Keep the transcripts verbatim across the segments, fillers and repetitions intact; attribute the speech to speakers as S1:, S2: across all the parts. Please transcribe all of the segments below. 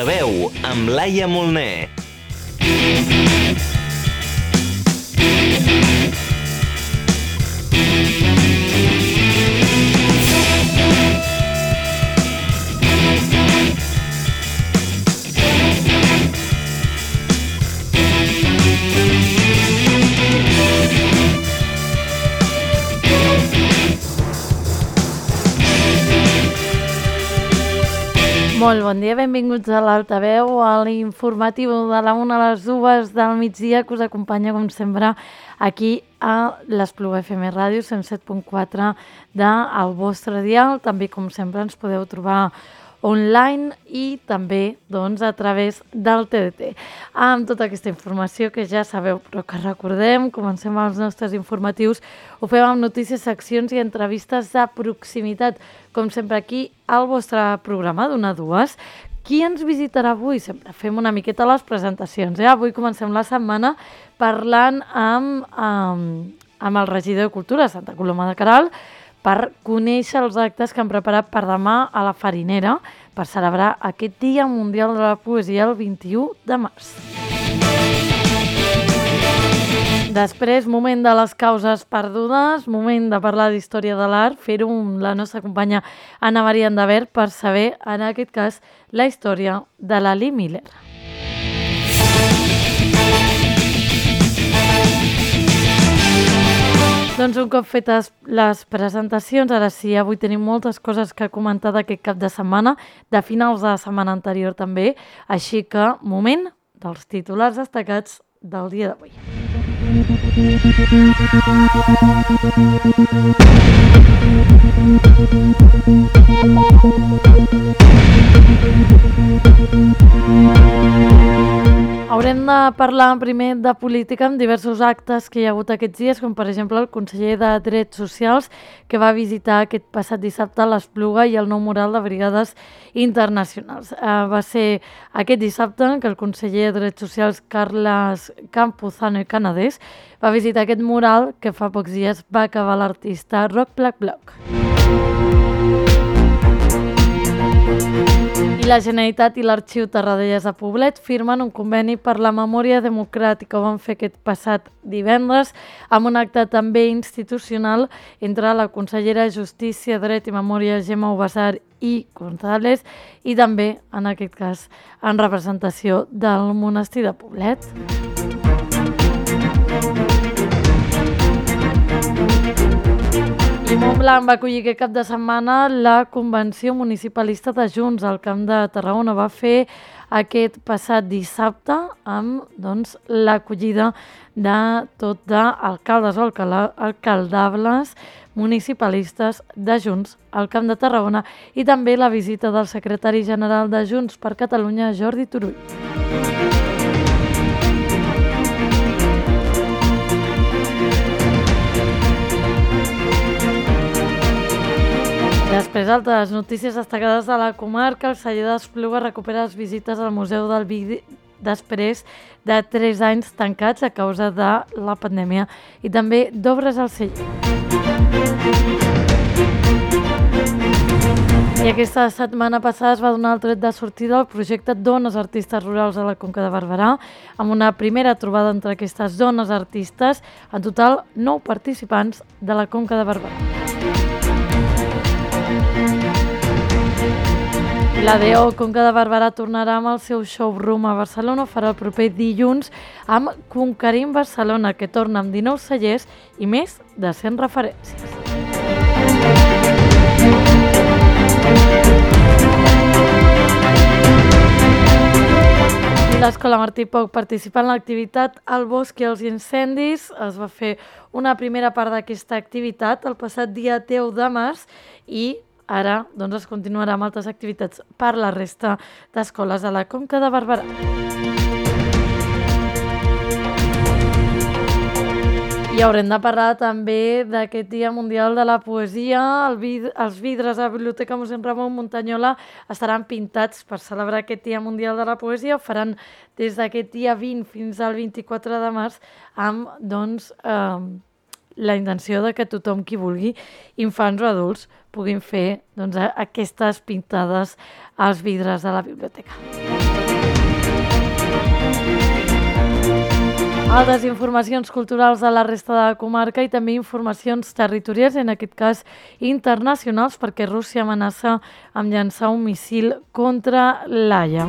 S1: Altaveu, amb Laia Molner.
S2: Molt bon dia, benvinguts a l'Altaveu, a l'informatiu de la una a les dues del migdia, que us acompanya, com sempre, aquí a l'Espluga F M Ràdio, cent set punt quatre del vostre dial. També, com sempre, ens podeu trobar online i també doncs, a través del T D T. Amb tota aquesta informació que ja sabeu, però que recordem, comencem els nostres informatius, ho fem amb notícies, seccions i entrevistes de proximitat, com sempre aquí al vostre programa d'una a dues. Qui ens visitarà avui? Sempre fem una miqueta les presentacions. Eh? Avui comencem la setmana parlant amb, amb, amb el regidor de Cultura de Santa Coloma de Queralt, per conèixer els actes que han preparat per demà a la Farinera per celebrar aquest Dia Mundial de la Poesia el vint-i-u de març. Després, moment de les causes perdudes, moment de parlar d'història de l'art, fer-ho amb la nostra companya Anna Maria Andavert per saber, en aquest cas, la història de la Lee Miller. Doncs un cop fetes les presentacions, ara sí, avui tenim moltes coses que comentar d'aquest cap de setmana, de finals de la setmana anterior també, així que moment dels titulars destacats del dia d'avui. Haurem de parlar primer de política amb diversos actes que hi ha hagut aquests dies, com per exemple el conseller de Drets Socials, que va visitar aquest passat dissabte l'Espluga i el nou mural de Brigades Internacionals. Uh, va ser aquest dissabte que el conseller de Drets Socials, Carles Campuzano i Canadés, va visitar aquest mural que fa pocs dies va acabar l'artista Roc Black Bloc. I la Generalitat i l'Arxiu Tarradellas de Poblet firmen un conveni per la memòria democràtica. Ho van fer aquest passat divendres amb un acte també institucional entre la consellera de Justícia, Dret i Memòria, Gemma Ubasar i González, i també, en aquest cas, en representació del monestir de Poblet. I Montblanc va acollir aquest cap de setmana la Convenció Municipalista de Junts al Camp de Tarragona. Va fer aquest passat dissabte amb doncs, l'acollida de tot d'alcaldes o alcaldables municipalistes de Junts al Camp de Tarragona i també la visita del secretari general de Junts per Catalunya, Jordi Turull. Després, altres notícies destacades de la comarca. El celler d'Espluga recupera les visites al Museu del Vi després de tres anys tancats a causa de la pandèmia i també d'obres al celler. I aquesta setmana passada es va donar el tret de sortida al projecte Dones Artistes Rurals a la Conca de Barberà, amb una primera trobada entre aquestes dones artistes, en total nou participants de la Conca de Barberà. La D O Conca de Barberà tornarà amb el seu showroom a Barcelona. Ho farà el proper dilluns amb Conquerim Barcelona, que torna amb dinou cellers i més de cent referències. L'Escola Martí Poch participa en l'activitat El bosc i els incendis. Es va fer una primera part d'aquesta activitat el passat dia deu de març i ara doncs, es continuarà amb altres activitats per la resta d'escoles de la Conca de Barberà. I haurem de parlar també d'aquest Dia Mundial de la Poesia. El vid- els vidres a la Biblioteca Mossèn Ramon Muntanyola estaran pintats per celebrar aquest Dia Mundial de la Poesia. Ho faran des d'aquest dia vint fins al vint-i-quatre de març amb doncs, eh, la intenció de que tothom qui vulgui, infants o adults, puguin fer doncs, aquestes pintades als vidres de la biblioteca. Altres informacions culturals de la resta de la comarca i també informacions territorials, en aquest cas internacionals, perquè Rússia amenaça amb llançar un missil contra l'Haia.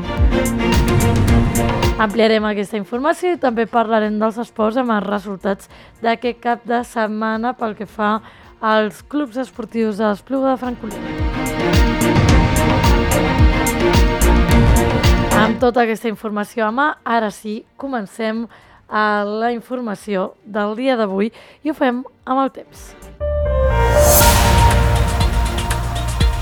S2: Ampliarem aquesta informació i també parlarem dels esports amb els resultats d'aquest cap de setmana pel que fa als clubs esportius de l'Espluga de Francolí. Amb tota aquesta informació a mà, ara sí, comencem a la informació del dia d'avui i ho fem amb el temps.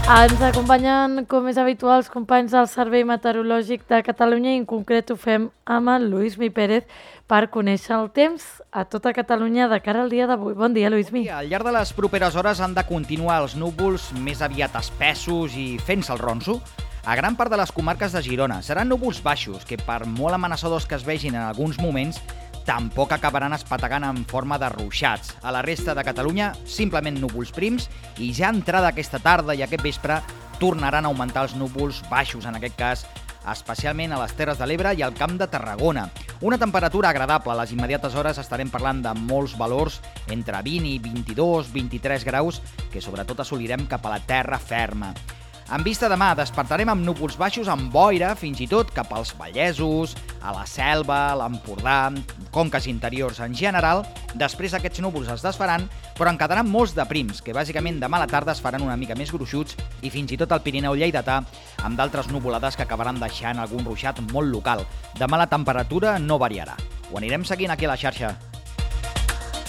S2: Ens acompanyen, com és habitual, els companys del Servei Meteorològic de Catalunya i en concret ho fem amb el Lluís Mi Pérez per conèixer el temps a tota Catalunya de cara al dia d'avui. Bon dia, Lluís Mi.
S3: Al llarg de les properes hores han de continuar els núvols més aviat espessos i fent-se el ronso a gran part de les comarques de Girona. Seran núvols baixos que, per molt amenaçadors que es vegin en alguns moments, tampoc acabaran espetegant en forma de ruixats. A la resta de Catalunya, simplement núvols prims i ja entrada aquesta tarda i aquest vespre tornaran a augmentar els núvols baixos, en aquest cas especialment a les Terres de l'Ebre i al Camp de Tarragona. Una temperatura agradable. A les immediates hores estarem parlant de molts valors entre vint i vint-i-dos, vint-i-tres graus que sobretot assolirem cap a la terra ferma. En vista demà, despertarem amb núvols baixos amb boira, fins i tot cap als Vallesos, a la Selva, a l'Empordà, conques interiors en general. Després aquests núvols es desfaran, però en quedaran molts de prims, que bàsicament demà a la tarda es faran una mica més gruixuts i fins i tot al Pirineu lleidatà, amb d'altres nuvolades que acabaran deixant algun ruixat molt local. Demà la temperatura no variarà. Ho anirem seguint aquí a la xarxa.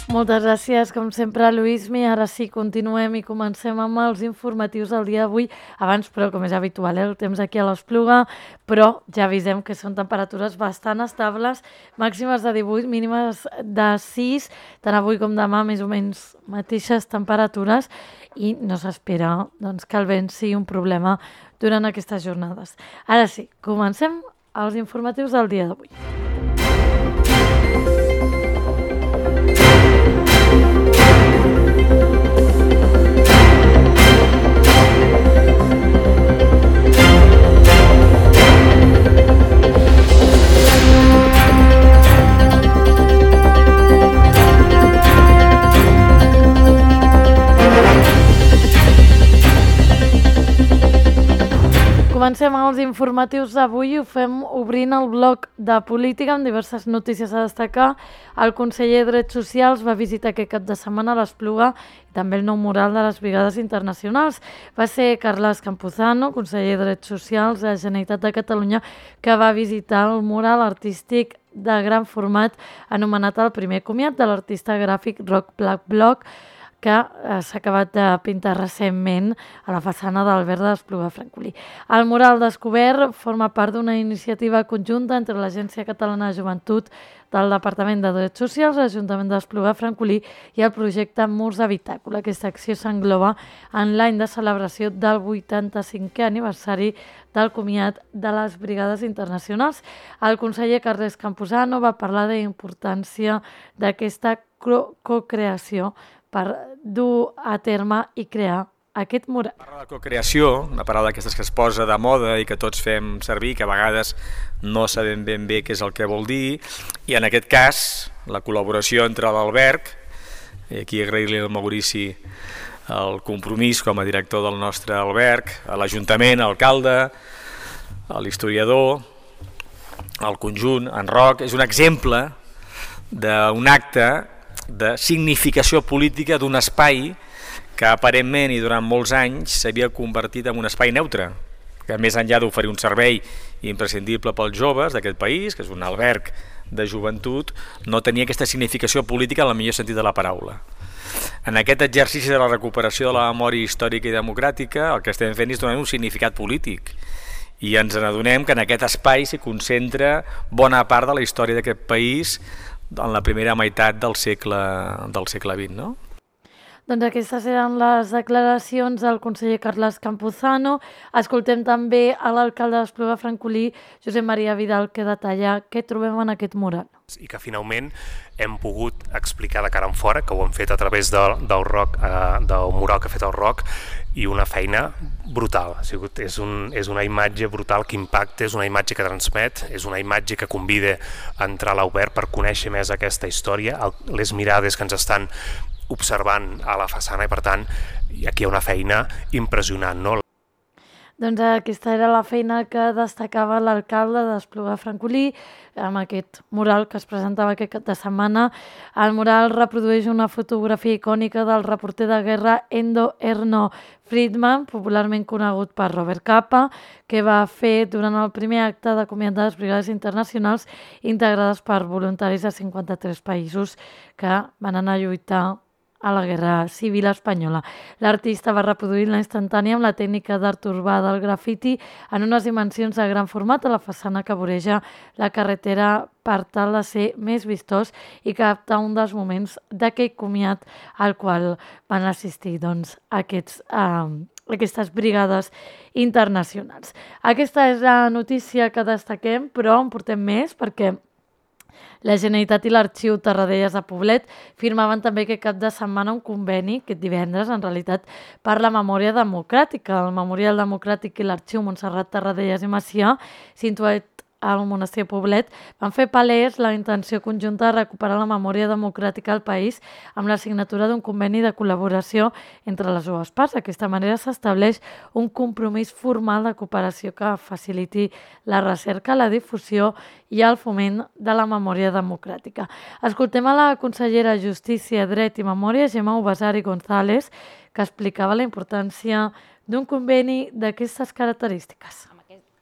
S2: Moltes gràcies, com sempre, Lluís Mi. Ara sí, continuem i comencem amb els informatius del dia d'avui. Abans, però, com és habitual, eh, el temps aquí a l'Espluga, però ja avisem que són temperatures bastant estables, màximes de divuit, mínimes de sis, tant avui com demà, més o menys mateixes temperatures, i no s'espera doncs, que el vent sigui un problema durant aquestes jornades. Ara sí, comencem els informatius del dia d'avui. Comencem els informatius d'avui i ho fem obrint el bloc de política amb diverses notícies a destacar. El conseller de Drets Socials va visitar aquest cap de setmana a l'Espluga i també el nou mural de les Brigades Internacionals. Va ser Carles Campuzano, conseller de Drets Socials de la Generalitat de Catalunya, que va visitar el mural artístic de gran format anomenat el primer comiat de l'artista gràfic Roc Black Block, que s'ha acabat de pintar recentment a la façana del Alberg de l'Espluga de Francolí. El mural descobert forma part d'una iniciativa conjunta entre l'Agència Catalana de Joventut del Departament de Drets Socials, l'Ajuntament de l'Espluga de Francolí i el projecte Murs d'Habitacle. Aquesta acció s'engloba en l'any de celebració del vuitanta-cinquè aniversari del comiat de les Brigades Internacionals. El conseller Carles Campuzano va parlar de la importància d'aquesta cocreació per dur a terme i crear aquest mural.
S4: Parla de cocreació, una paraula d'aquestes que es posa de moda i que tots fem servir, que a vegades no sabem ben bé què és el que vol dir, i en aquest cas la col·laboració entre l'Alberg, i aquí agrair-li al Maurici el compromís com a director del nostre alberg, a l'Ajuntament, a l'alcalde, a l'historiador, al conjunt, en Roc, és un exemple d'un acte de significació política d'un espai que aparentment i durant molts anys s'havia convertit en un espai neutre, que més enllà d'oferir un servei imprescindible pels joves d'aquest país, que és un alberg de joventut, no tenia aquesta significació política en el millor sentit de la paraula. En aquest exercici de la recuperació de la memòria històrica i democràtica el que estem fent és donar un significat polític i ens n'adonem que en aquest espai s'hi concentra bona part de la història d'aquest país en la primera meitat del segle, del segle vint, no?
S2: Doncs aquestes eren les declaracions del conseller Carles Campuzano. Escoltem també a l'alcalde d'Espluga Francolí, Josep Maria Vidal, que detalla què trobem en aquest mural.
S5: I que finalment hem pogut explicar de cara en fora, que ho hem fet a través de, del, rock, eh, del mural que ha fet el Roc, i una feina brutal. Ha sigut, és, un, és una imatge brutal que impacta, és una imatge que transmet, és una imatge que convida a entrar a l'Obert per conèixer més aquesta història, el, les mirades que ens estan observant a la façana i, per tant, aquí hi ha una feina impressionant, no?
S2: Doncs aquesta era la feina que destacava l'alcalde d'Espluga Francolí amb aquest mural que es presentava aquest cap de setmana. El mural reprodueix una fotografia icònica del reporter de guerra Endo Erno Friedman, popularment conegut per Robert Capa, que va fer durant el primer acte de comiat de les brigades internacionals integrades per voluntaris de cinquanta-tres països que van anar a lluitar a la Guerra Civil Espanyola. L'artista va reproduir la instantània amb la tècnica d'art urbà del grafiti en unes dimensions de gran format a la façana que voreja la carretera per tal de ser més vistós i captar un dels moments d'aquell comiat al qual van assistir doncs, aquests, eh, aquestes brigades internacionals. Aquesta és la notícia que destaquem, però en portem més perquè la Generalitat i l'Arxiu Tarradellas de Poblet firmaven també aquest cap de setmana un conveni, aquest divendres, en realitat, per la memòria democràtica. El Memorial Democràtic i l'Arxiu Montserrat Tarradellas i Macià, situat al monestir de Poblet, van fer palès la intenció conjunta de recuperar la memòria democràtica al país amb la signatura d'un conveni de col·laboració entre les dues parts. D'aquesta manera s'estableix un compromís formal de cooperació que faciliti la recerca, la difusió i el foment de la memòria democràtica. Escoltem a la consellera de Justícia, Dret i Memòria, Gemma Ubasari González, que explicava la importància d'un conveni d'aquestes característiques.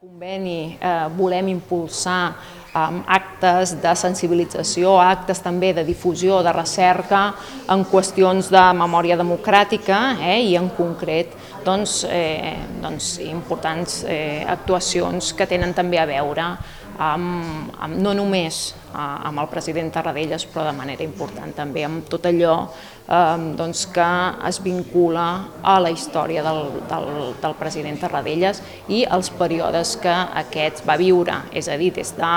S6: Conveni eh, volem impulsar eh, actes de sensibilització, actes també de difusió, de recerca en qüestions de memòria democràtica eh, i en concret doncs, eh, doncs, importants eh, actuacions que tenen també a veure amb, amb, no només eh, amb el president Tarradellas, però de manera important també amb tot allò eh, doncs, que es vincula a la història del, del, del president Tarradellas i els períodes que aquest va viure, és a dir, des de,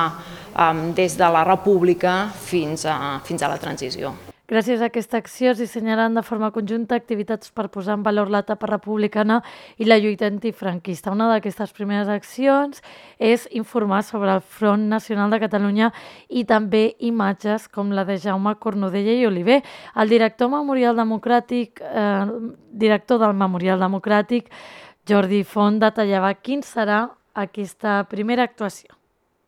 S6: eh, des de la República fins a, fins a la transició.
S2: Gràcies a aquesta acció es dissenyaran de forma conjunta activitats per posar en valor l'etapa republicana i la lluita antifranquista. Una d'aquestes primeres accions és informar sobre el Front Nacional de Catalunya i també imatges com la de Jaume Cornudella i Oliver. El director Memorial Democràtic, eh, director del Memorial Democràtic, Jordi Font, detallava quin serà aquesta primera actuació.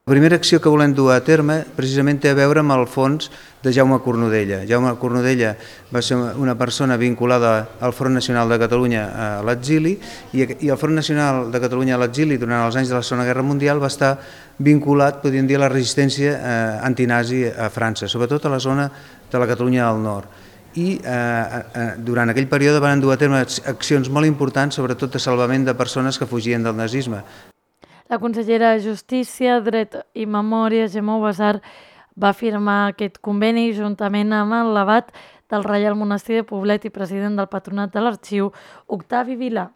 S7: La primera acció que volem dur a terme precisament té a veure amb el fons de Jaume Cornudella. Jaume Cornudella va ser una persona vinculada al Front Nacional de Catalunya a l'exili i el Front Nacional de Catalunya a l'exili durant els anys de la Segona Guerra Mundial va estar vinculat, podríem dir, a la resistència antinazi a França, sobretot a la zona de la Catalunya del Nord. I eh, durant aquell període van dur a terme accions molt importants, sobretot de salvament de persones que fugien del nazisme.
S2: La consellera de Justícia, Dret i Memòria, Gemma Ubasar, va firmar aquest conveni juntament amb el l'abat del Reial Monestir de Poblet i president del Patronat de l'Arxiu, Octavi Vilà.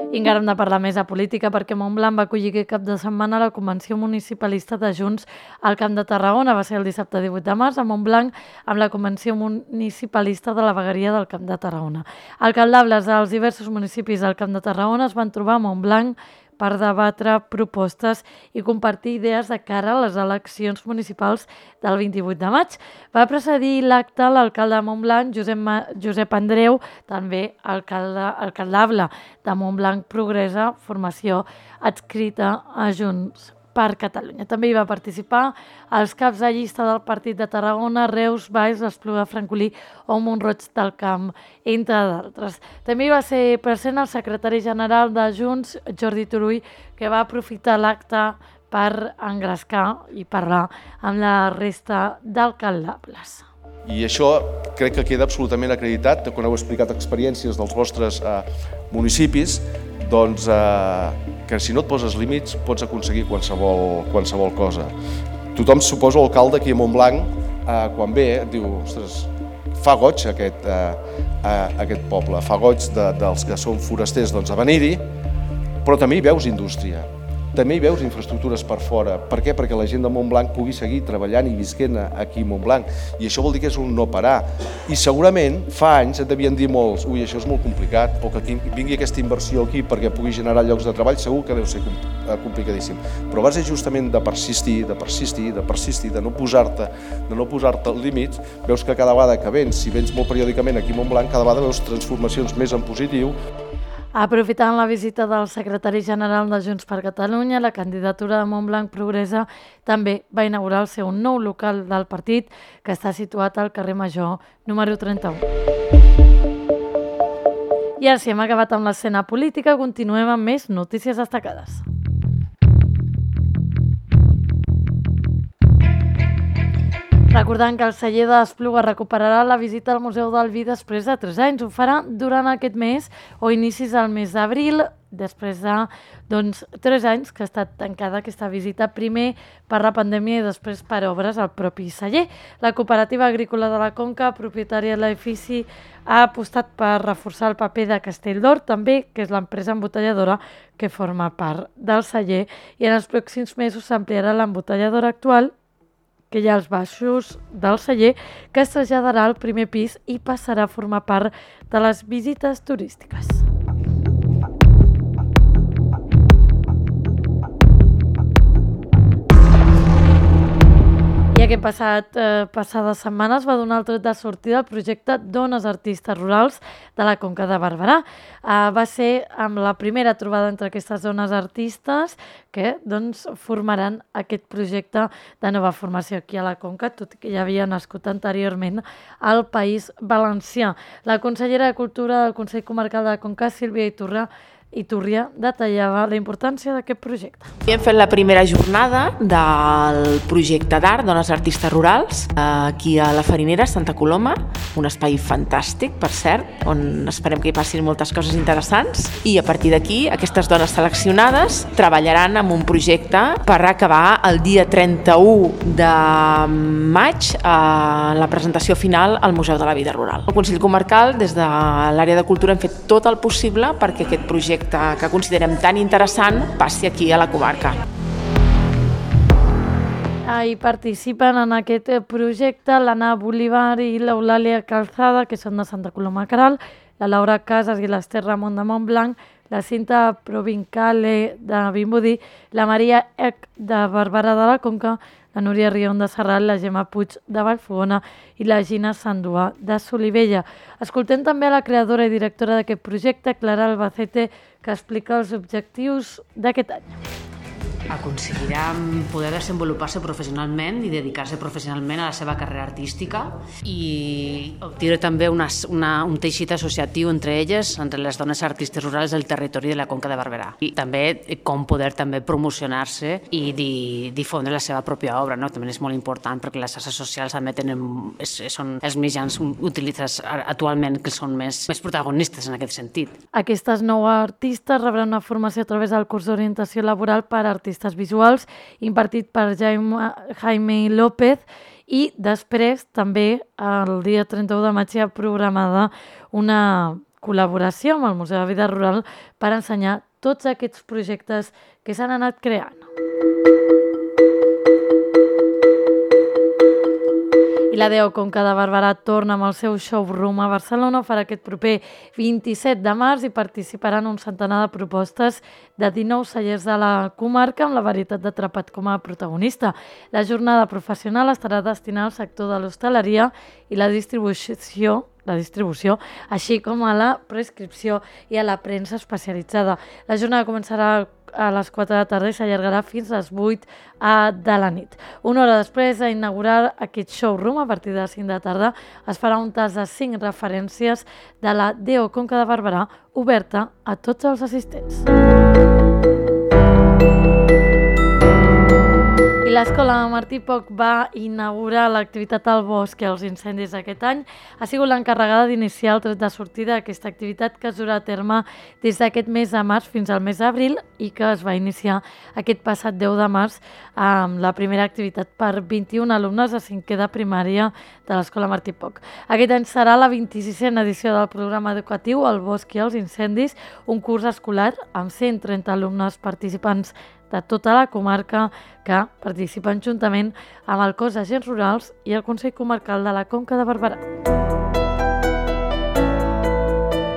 S2: I encara hem de parlar més de política perquè Montblanc va acollir aquest cap de setmana la Convenció Municipalista de Junts al Camp de Tarragona. Va ser el dissabte divuit de març a Montblanc amb la Convenció Municipalista de la Vegueria del Camp de Tarragona. Alcaldables dels diversos municipis del Camp de Tarragona es van trobar a Montblanc per debatre propostes i compartir idees de cara a les eleccions municipals del vint-i-vuit de maig. Va precedir l'acte l'alcalde de Montblanc, Josep, Ma... Josep Andreu, també alcalde, alcaldable de Montblanc Progressa, formació adscrita a Junts per Catalunya. També hi va participar els caps de llista del Partit de Tarragona, Reus, Valls, Espluga Francolí o Mont-roig del Camp, entre d'altres. També hi va ser present el secretari general de Junts, Jordi Turull, que va aprofitar l'acte per engrescar i parlar amb la resta d'alcaldables.
S8: I això crec que queda absolutament acreditat, quan heu explicat experiències dels vostres eh, municipis, doncs eh, que si no et poses límits pots aconseguir qualsevol, qualsevol cosa. Tothom, suposo, l'alcalde aquí a Montblanc, eh, quan ve, et diu, ostres, fa goig aquest, eh, aquest poble, fa goig de, dels que són forasters doncs, a venir-hi, però també hi veus indústria, també hi veus infraestructures per fora. Per què? Perquè la gent de Montblanc pugui seguir treballant i visquent aquí a Montblanc. I això vol dir que és un no parar. I segurament fa anys et devien dir molts, ui, això és molt complicat, o que aquí vingui aquesta inversió aquí perquè pugui generar llocs de treball, segur que deu ser complicadíssim. Però a base justament de persistir, de persistir, de persistir, de no posar-te de no posar-te límits, veus que cada vegada que vens, si vens molt periòdicament aquí a Montblanc, cada vegada veus transformacions més en positiu.
S2: Aprofitant la visita del secretari general de Junts per Catalunya, la candidatura de Montblanc Progressa també va inaugurar el seu nou local del partit, que està situat al carrer Major, número trenta-u. I ara sí, hem acabat amb l'escena política, continuem amb més notícies destacades. Recordant que el celler d'Espluga recuperarà la visita al Museu del Vi després de tres anys. Ho farà durant aquest mes o inicis del mes d'abril, després de doncs, tres anys que ha estat tancada aquesta visita, primer per la pandèmia i després per obres al propi celler. La Cooperativa Agrícola de la Conca, propietària de l'edifici, ha apostat per reforçar el paper de Castelldor, també, que és l'empresa embotelladora que forma part del celler, i en els pròxims mesos s'ampliarà l'embotelladora actual, que hi ha als baixos del celler, que es traslladarà al primer pis i passarà a formar part de les visites turístiques. I aquest passat, eh, passades setmanes va donar el tret de sortida al projecte Dones Artistes Rurals de la Conca de Barberà. Eh, va ser amb la primera trobada entre aquestes dones artistes que doncs, formaran aquest projecte de nova formació aquí a la Conca, tot i que ja havia nascut anteriorment al País Valencià. La consellera de Cultura del Consell Comarcal de la Conca, Sílvia Iturra, Iturria, detallava la importància d'aquest projecte.
S9: Hem fet la primera jornada del projecte d'art Dones Artistes Rurals aquí a la Farinera, Santa Coloma, un espai fantàstic, per cert, on esperem que hi passin moltes coses interessants, i a partir d'aquí aquestes dones seleccionades treballaran en un projecte per acabar el dia trenta-u de maig a la presentació final al Museu de la Vida Rural. El Consell Comarcal, des de l'àrea de cultura, hem fet tot el possible perquè aquest projecte que considerem tan interessant passi aquí a la comarca.
S2: Hi participen en aquest projecte l'Anna Bolívar i l'Eulàlia Calzada, que són de Santa Coloma Queralt, la Laura Casas i l'Ester Ramon de Montblanc, la Cinta Provincale de Vimbodí, la Maria Ec de Barberà de la Conca, la Núria Rion de Serrat, la Gemma Puig de Vallfogona i la Gina Sanduà de Solivella. Escoltem també a la creadora i directora d'aquest projecte, Clara Albacete, que explica els objectius d'aquest any.
S10: Aconseguirà poder desenvolupar-se professionalment i dedicar-se professionalment a la seva carrera artística i obtenir també una, una, un teixit associatiu entre elles, entre les dones artistes rurals del territori de la Conca de Barberà. I també com poder també promocionar-se i di, difondre la seva pròpia obra, no? També és molt important perquè les xarxes socials també tenen, és, són els mitjans utilitzats actualment que són més, més protagonistes en aquest sentit.
S2: Aquestes nou artistes rebran una formació a través del curs d'orientació laboral per a artistes visuals impartit per Jaime, Jaime López, i després també el dia trenta-u de maig hi ha programada una col·laboració amb el Museu de Vida Rural per ensenyar tots aquests projectes que s'han anat creant. I la D E O Conca de Barberà torna amb el seu showroom a Barcelona. Farà aquest proper vint-i-set de març i participaran un centenar de propostes de dinou cellers de la comarca amb la varietat de Trapat com a protagonista. La jornada professional estarà destinada al sector de l'hostaleria i la distribució la distribució, així com a la prescripció i a la premsa especialitzada. La jornada començarà a les quatre de la tarda i s'allargarà fins a les vuit de la nit. Una hora després d'inaugurar aquest showroom, a partir de les cinc de la tarda, es farà un tas de cinc referències de la D E O Conca de Barberà, oberta a tots els assistents. I l'Escola Martí Poch va inaugurar l'activitat al bosc i els incendis aquest any. Ha sigut l'encarregada d'iniciar el tret de sortida d'aquesta activitat que es durà a terme des d'aquest mes de març fins al mes d'abril i que es va iniciar aquest passat deu de març amb la primera activitat per vint-i-un alumnes de cinquè de primària de l'Escola Martí Poch. Aquest any serà la vint-i-sisena edició del programa educatiu El bosc i els incendis, un curs escolar amb cent trenta alumnes participants de tota la comarca que participen juntament amb el cos d'agents rurals i el Consell Comarcal de la Conca de Barberà.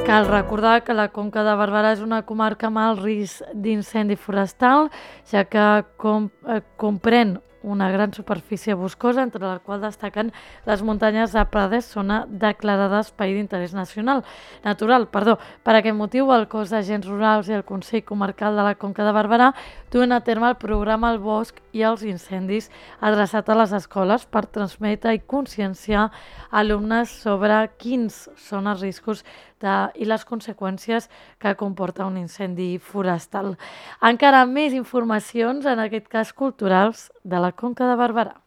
S2: Cal recordar que la Conca de Barberà és una comarca amb alt risc d'incendi forestal, ja que com, eh, comprèn una gran superfície boscosa, entre la qual destaquen les muntanyes de Prades, zona declarada espai d'interès nacional natural. Perdó. Per aquest motiu, el cos d'agents rurals i el Consell Comarcal de la Conca de Barberà duen a terme el programa El bosc i els incendis, adreçat a les escoles per transmetre i conscienciar alumnes sobre quins són els riscos de, i les conseqüències que comporta un incendi forestal. Encara més informacions, en aquest cas culturals, de la Conca de Barberà.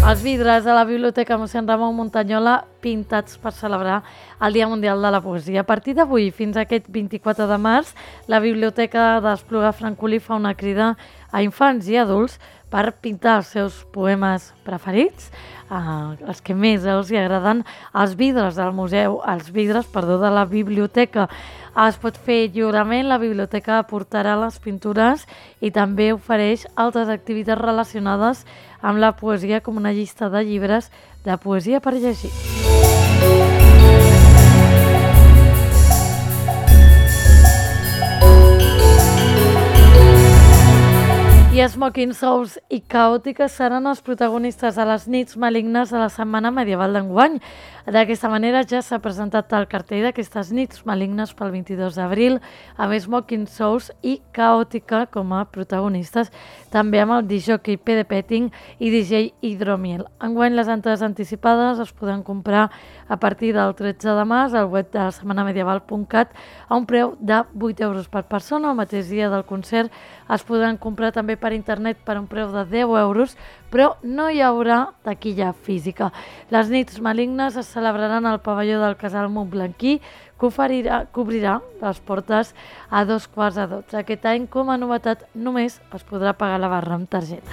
S2: Els vidres de la Biblioteca Mossèn Ramon Muntanyola pintats per celebrar el Dia Mundial de la Poesia. A partir d'avui fins aquest vint-i-quatre de març, la Biblioteca d'Espluga Francolí fa una crida a infants i adults per pintar els seus poemes preferits, eh, els que més els hi agraden, als vidres del museu, als vidres, perdó, de la biblioteca. Es pot fer lliurement, la biblioteca aportarà les pintures i també ofereix altres activitats relacionades amb la poesia, com una llista de llibres de poesia per llegir. I Smoking Souls i Caòtiques seran els protagonistes de les nits malignes de la Setmana Medieval d'enguany. D'aquesta manera ja s'ha presentat el cartell d'aquestes nits malignes pel vint-i-dos d'abril, amb Smoking Souls i Caòtica com a protagonistes, també amb el disjockey P D Petting i D J Hidromiel. Enguany les entrades anticipades es poden comprar a partir del tretze de març al web de la setmana medieval punt cat a un preu de vuit euros per persona. El mateix dia del concert es podran comprar també per internet per un preu de deu euros, però no hi haurà taquilla física. Les nits malignes es celebraran al pavelló del Casal Montblanquí, que oferirà, cobrirà les portes a dos quarts de dotze. Aquest any, com a novetat, només es podrà pagar la barra amb targeta.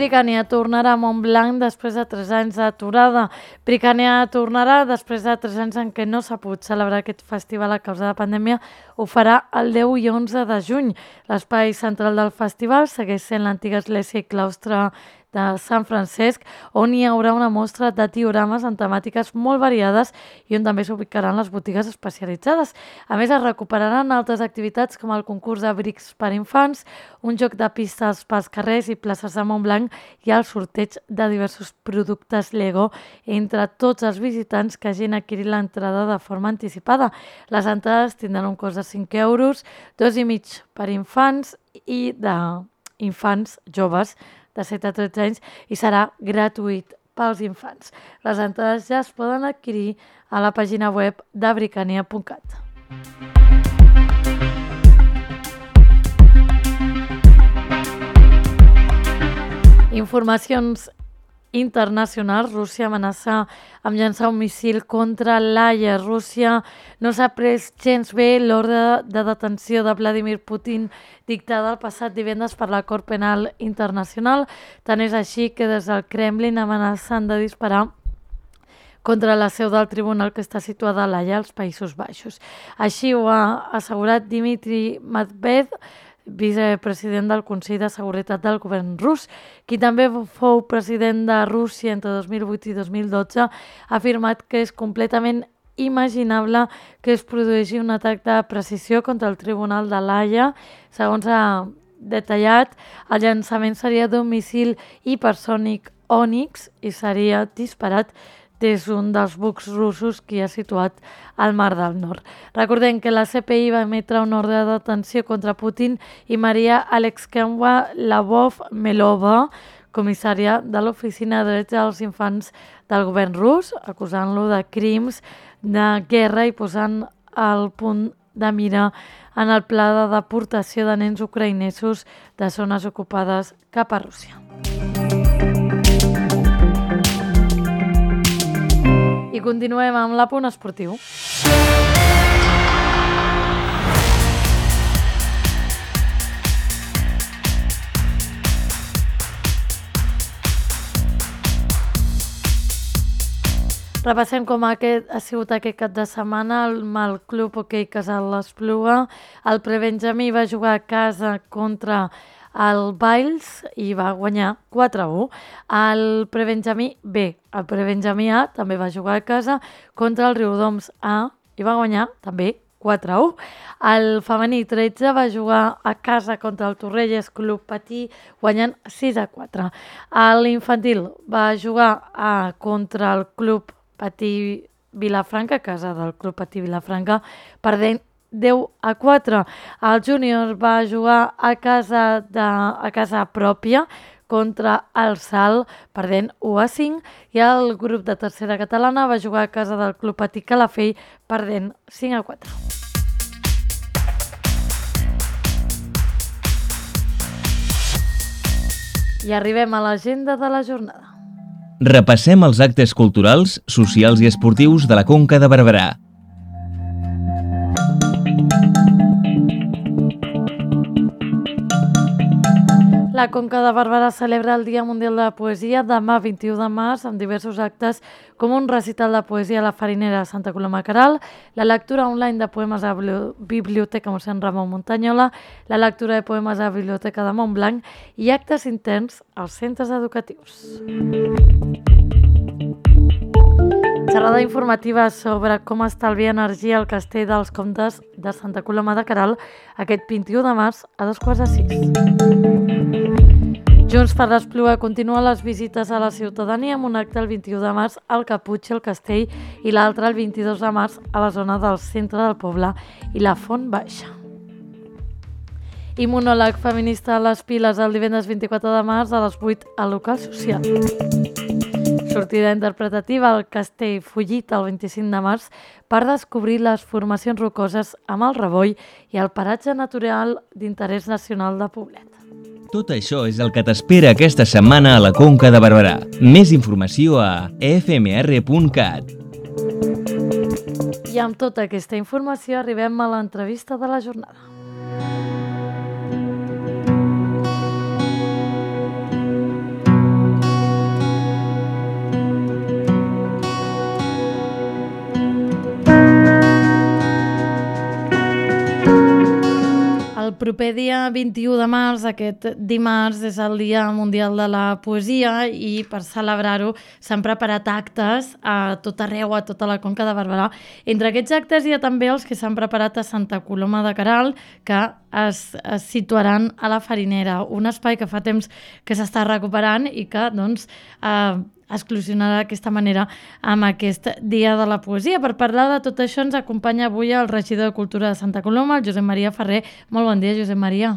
S2: Bricània tornarà a Montblanc després de tres anys d'aturada. Bricània tornarà després de tres anys en què no s'ha pogut celebrar aquest festival a causa de la pandèmia. Ho farà el deu i onze de juny. L'espai central del festival segueix sent l'antiga església i claustre de Sant Francesc, on hi haurà una mostra de diorames amb temàtiques molt variades i on també s'ubicaran les botigues especialitzades. A més, es recuperaran altres activitats com el concurs de brics per infants, un joc de pistes pels carrers i places de Montblanc i el sorteig de diversos productes Lego entre tots els visitants que hagin adquirit l'entrada de forma anticipada. Les entrades tindran un cost de cinc euros, dos i mig per infants i d'infants joves de set a tretze anys i serà gratuït pels infants. Les entrades ja es poden adquirir a la pàgina web de bricània punt cat. Informacions internacionals. Rússia amenaça amb llançar un missil contra l'Haia. Rússia no s'ha pres gens bé l'ordre de detenció de Vladimir Putin dictada el passat divendres per la Cort Penal Internacional. Tant és així que des del Kremlin amenacen de disparar contra la seu del tribunal que està situada a l'Haia, als Països Baixos. Així ho ha assegurat Dmitry Medvedev, vicepresident del Consell de Seguretat del govern rus, qui també fou president de Rússia entre dos mil vuit i dos mil dotze, ha afirmat que és completament imaginable que es produeixi un atac de precisió contra el Tribunal de l'Haia. Segons ha detallat, el llançament seria d'un missil hipersònic Onyx i seria disparat des d'un dels bucs russos que hi ha situat al Mar del Nord. Recordem que la C P I va emetre un ordre de detenció contra Putin i Maria Alexkeva-Lavov-Melova, comissària de l'Oficina de Drets dels Infants del govern rus, acusant-lo de crims de guerra i posant el punt de mira en el pla de deportació de nens ucraïnesos de zones ocupades cap a Rússia. I continuem amb l'Apunt Esportiu. Repassem com aquest, ha sigut aquest cap de setmana amb el Club Hoquei Casal l'Espluga. El Prebenjamí va jugar a casa contra el Valls i va guanyar quatre a u. El Prebenjamí B, el Prebenjamí A, també va jugar a casa contra el Riudoms A i va guanyar també quatre a u. El femení tretze va jugar a casa contra el Torrelles Club Patí guanyant sis a quatre. L'infantil va jugar a, contra el Club Patí Vilafranca, a casa del Club Patí Vilafranca, perdent deu a quatre. El júnior va jugar a casa, de, a casa pròpia contra el Salt, perdent u a cinc, i el grup de tercera catalana va jugar a casa del Club Patí Calafell, perdent cinc a quatre. I arribem a l'agenda de la jornada.
S1: Repassem els actes culturals, socials i esportius de la Conca de Barberà.
S2: La Conca de Barberà celebra el Dia Mundial de la Poesia demà vint-i-u de març amb diversos actes com un recital de poesia a la Farinera de Santa Coloma de Queralt, la lectura online de poemes a la Biblioteca Mossèn Ramon Muntanyola, la lectura de poemes a la Biblioteca de Montblanc i actes interns als centres educatius. Xerrada informativa sobre com estalviar energia al Castell dels Comtes de Santa Coloma de Queralt aquest vint-i-u de març a dos quarts de sis. Junts per l'Espluga continua les visites a la ciutadania amb un acte el vint-i-u de març al Caputxi, al Castell, i l'altre el vint-i-dos de març a la zona del centre del poble i la Font Baixa. I monòleg feminista a les Piles el divendres vint-i-quatre de març a les vuit al local social. Sortida interpretativa al Castell Follit el vint-i-cinc de març per descobrir les formacions rocoses amb el Reboll i el paratge natural d'interès nacional de Poblet.
S1: Tot això és el que t'espera aquesta setmana a la Conca de Barberà. Més informació a f m r punt cat.
S2: I amb tota aquesta informació arribem a l'entrevista de la jornada. El proper dia vint-i-u de març, aquest dimarts, és el Dia Mundial de la Poesia i per celebrar-ho s'han preparat actes a tot arreu, a tota la Conca de Barberà. Entre aquests actes hi ha també els que s'han preparat a Santa Coloma de Queralt, que es, es situaran a la Farinera, un espai que fa temps que s'està recuperant i que doncs, eh, exclusionarà d'aquesta manera amb aquest Dia de la Poesia. Per parlar de tot això ens acompanya avui el regidor de Cultura de Santa Coloma, el Josep Maria Ferrer. Molt bon dia, Josep Maria.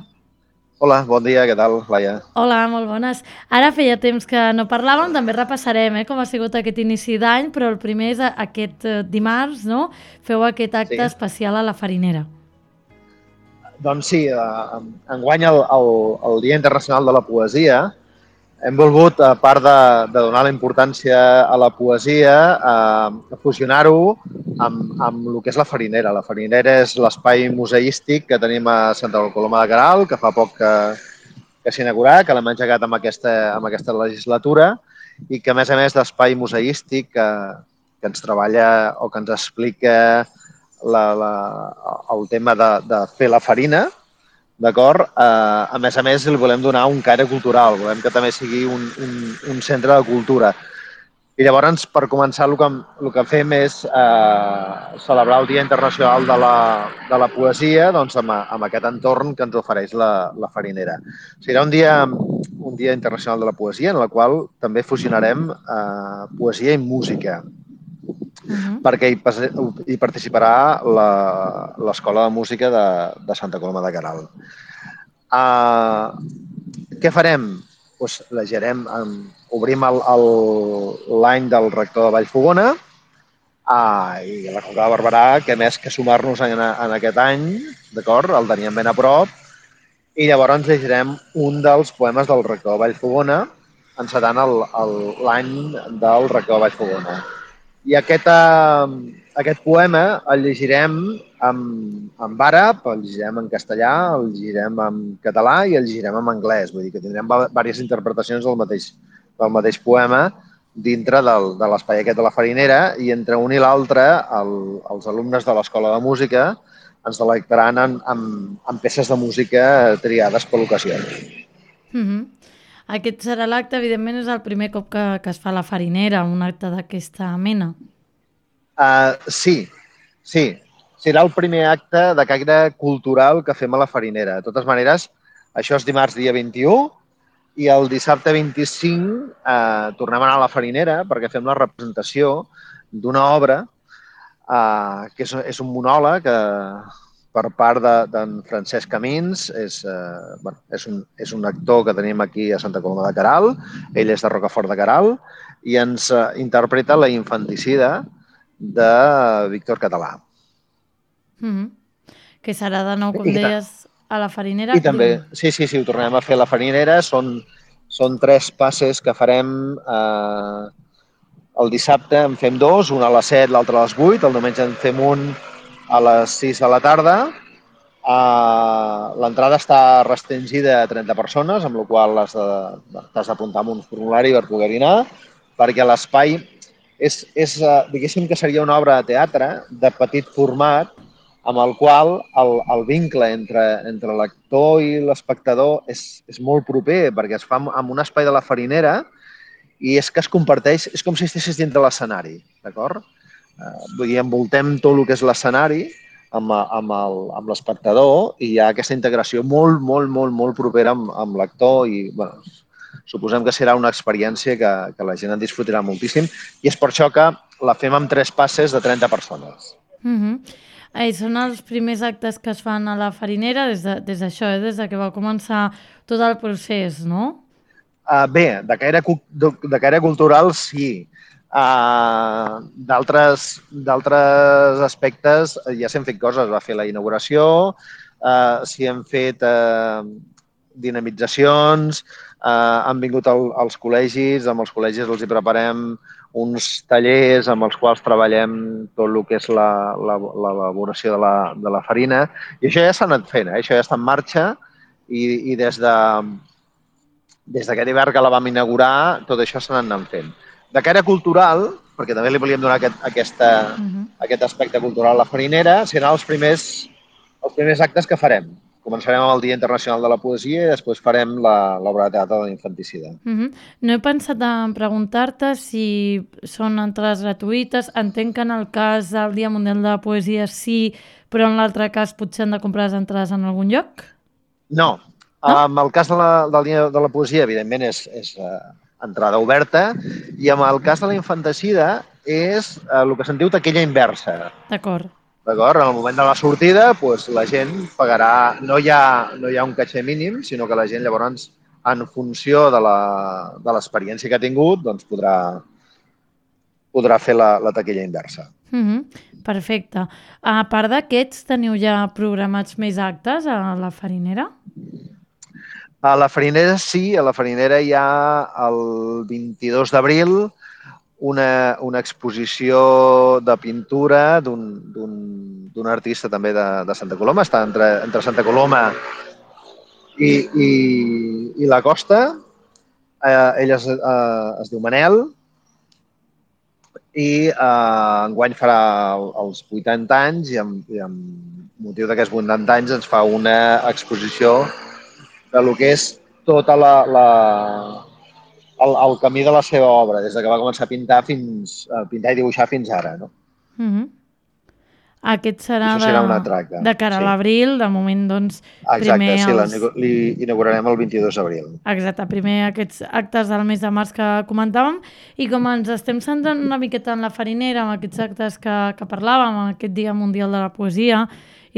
S11: Hola, bon dia, què tal, Laia?
S2: Hola, molt bones. Ara feia temps que no parlàvem, també repassarem eh, com ha sigut aquest inici d'any, però el primer és aquest dimarts, no? Feu aquest acte sí. especial a la Farinera.
S11: Doncs sí, enguany el, el, el Dia Internacional de la Poesia hem volgut, a part de, de donar la importància a la poesia, eh, fusionar-ho amb, amb el que és la Farinera. La Farinera és l'espai museístic que tenim a Santa Coloma de Queralt, que fa poc que, que s'ha inaugurat, que l'hem engegat amb aquesta, amb aquesta legislatura i que, a més a més, d'espai museístic que, que ens treballa o que ens explica la, la, el tema de, de fer la farina, d'acord? Uh, a més a més, li volem donar un caire cultural, volem que també sigui un, un, un centre de cultura. I llavors, per començar, el que, el que fem és uh, celebrar el Dia Internacional de la, de la Poesia doncs, amb, amb aquest entorn que ens ofereix la, la Farinera. Serà un dia, un dia Internacional de la Poesia en el qual també fusionarem uh, poesia i música. Uh-huh. Perquè hi, hi participarà l'Escola de Música de, de Santa Coloma de Queralt. Uh, què farem? Pues, legerem, um, obrim l'any del rector de Vallfogona uh, i la Conca de Barberà, que més que sumar-nos en, en aquest any, d'acord, el teníem ben a prop, i llavors llegirem un dels poemes del rector de Vallfogona encetant l'any del rector de Vallfogona. I aquest, eh, aquest poema el llegirem en, en àrab, el llegirem en castellà, el llegirem en català i el llegirem en anglès. Vull dir que tindrem diverses interpretacions del mateix, del mateix poema dintre del, de l'espai aquest de la Farinera, i entre un i l'altre el, els alumnes de l'Escola de Música ens delectaran en, en, en peces de música triades per l'ocasió.
S2: Mm-hmm. Aquest serà l'acte, evidentment, és el primer cop que, que es fa a la Farinera, un acte d'aquesta mena.
S11: Uh, sí, sí. Serà el primer acte de caire cultural que fem a la Farinera. De totes maneres, això és dimarts dia vint-i-u i el dissabte vint-i-cinc eh, tornem a anar a la Farinera perquè fem la representació d'una obra eh, que és, és un monòleg eh, per part d'en Francesc Camins. És, eh, bueno, és, un, és un actor que tenim aquí a Santa Coloma de Queralt, ell és de Rocafort de Queralt, i ens eh, interpreta la infanticida de Víctor Català.
S2: Mm-hmm. Que serà de nou, com I deies, a la Farinera.
S11: I també, sí, sí, sí, ho tornem a fer a la Farinera. Són, són tres passes que farem eh, el dissabte, en fem dos, un a les set, l'altre a les vuit, el diumenge en fem un a les sis de la tarda. Uh, L'entrada està restringida a trenta persones, amb la qual has t'has d'apuntar amb un formulari per poder-hi anar, perquè l'espai és, és uh, diguéssim que seria una obra de teatre de petit format, amb el qual el, el vincle entre, entre l'actor i l'espectador és, és molt proper, perquè es fa en un espai de la Farinera i és que es comparteix, és com si estiguessis dintre l'escenari, d'acord? Uh, vull dir, envoltem tot el que és l'escenari amb, amb l'espectador i hi ha aquesta integració molt, molt, molt, molt propera amb, amb l'actor i, bueno, suposem que serà una experiència que, que la gent en disfrutarà moltíssim i és per això que la fem amb tres passes de trenta persones.
S2: Mm-hmm. Eh, són els primers actes que es fan a la Farinera des d'això, de, des, eh? des de que va començar tot el procés, no?
S11: Uh, bé, de caire, de, de caire cultural sí. Uh, d'altres aspectes ja s'han fet coses. Va fer la inauguració, uh, s'hi han fet uh, dinamitzacions, uh, han vingut el, els col·legis, amb els col·legis els hi preparem uns tallers amb els quals treballem tot el que és l'elaboració de, la, de la farina. I això ja s'ha anat fent, eh? Això ja està en marxa i, i des de des d'aquest hivern que la vam inaugurar, tot això s'ha anat fent. De caire cultural, perquè també li volíem donar aquest, aquesta, uh-huh. aquest aspecte cultural a la Farinera, seran els primers, els primers actes que farem. Començarem amb el Dia Internacional de la Poesia i després farem l'obra de teatre de l'infanticida.
S2: Uh-huh. No he pensat en preguntar-te si són entrades gratuïtes. Entenc que en el cas del Dia Mundial de la Poesia sí, però en l'altre cas potser han de comprar les entrades en algun lloc?
S11: No. no? En el cas de la, del Dia de la Poesia, evidentment, és... és uh, entrada oberta, i en el cas de la infanticida és eh, el que se'n diu taquilla inversa.
S2: D'acord.
S11: D'acord? En el moment de la sortida, doncs, la gent pagarà, no hi ha, no hi ha un caixer mínim, sinó que la gent llavors, en funció de l'experiència que ha tingut, doncs podrà, podrà fer la, la taquilla inversa.
S2: Mm-hmm. Perfecte. A part d'aquests, teniu ja programats més actes a la Farinera?
S11: A la Farinera sí, a la Farinera hi ha el vint-i-dos d'abril una, una exposició de pintura d'un artista també de, de Santa Coloma, està entre, entre Santa Coloma i, i, i la costa. Eh, ell es, eh, es diu Manel i eh, enguany farà els vuitanta anys i amb, i amb motiu d'aquests vuitanta anys ens fa una exposició de lo que és tota la, la, el, el camí de la seva obra, des que va començar a pintar fins a pintar i dibuixar fins ara, no?
S2: Mm-hmm. Aquest serà,
S11: serà
S2: de, de cara sí. a l'abril, de moment, doncs,
S11: Exacte,
S2: primer...
S11: sí,
S2: els...
S11: li inaugurarem el vint-i-dos d'abril.
S2: Exacte, primer aquests actes del mes de març que comentàvem, i com ens estem centrant una miqueta en la Farinera, amb aquests actes que, que parlàvem, aquest Dia Mundial de la Poesia,